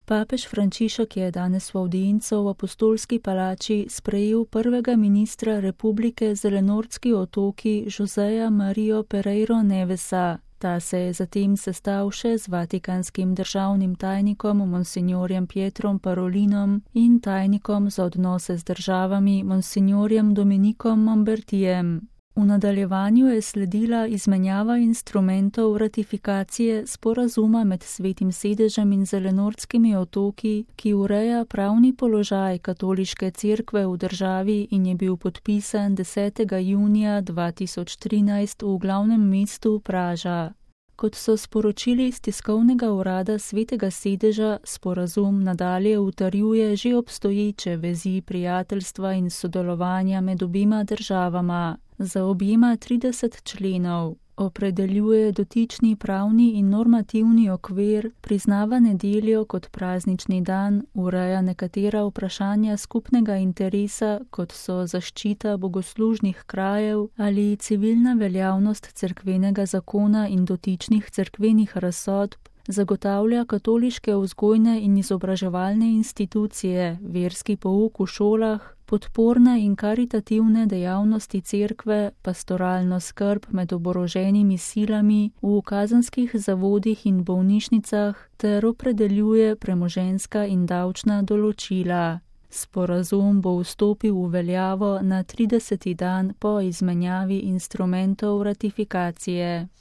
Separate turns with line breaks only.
Papež Frančišek je danes v avdienco v Apostolski palači sprejel prvega ministra Republike Zelenortski otoki Joseja Marijo Pereiro Nevesa. Ta se je zatem sestal še z vatikanskim državnim tajnikom monsignorjem Pietrom Parolinom in tajnikom za odnose z državami monsignorjem Dominikom Mombertijem. V nadaljevanju je sledila izmenjava instrumentov ratifikacije sporazuma med Svetim sedežem in Zelenortskimi otoki, ki ureja pravni položaj katoliške cerkve v državi in je bil podpisan 10. junija 2013 v glavnem mestu Praža. Kot so sporočili iz tiskovnega urada Svetega sedeža, sporazum nadalje utrjuje že obstoječe vezi prijateljstva in sodelovanja med obima državama. Zaobjema 30 členov, opredeljuje dotični pravni in normativni okvir, priznava nedeljo kot praznični dan, ureja nekatera vprašanja skupnega interesa, kot so zaščita bogoslužnih krajev ali civilna veljavnost cerkvenega zakona in dotičnih cerkvenih razsodb, zagotavlja katoliške vzgojne in izobraževalne institucije, verski pouk v šolah, podporne in karitativne dejavnosti cerkve, pastoralno skrb med oboroženimi silami v kazenskih zavodih in bolnišnicah ter opredeljuje premoženjska in davčna določila. Sporazum bo vstopil v veljavo na 30. dan po izmenjavi instrumentov ratifikacije.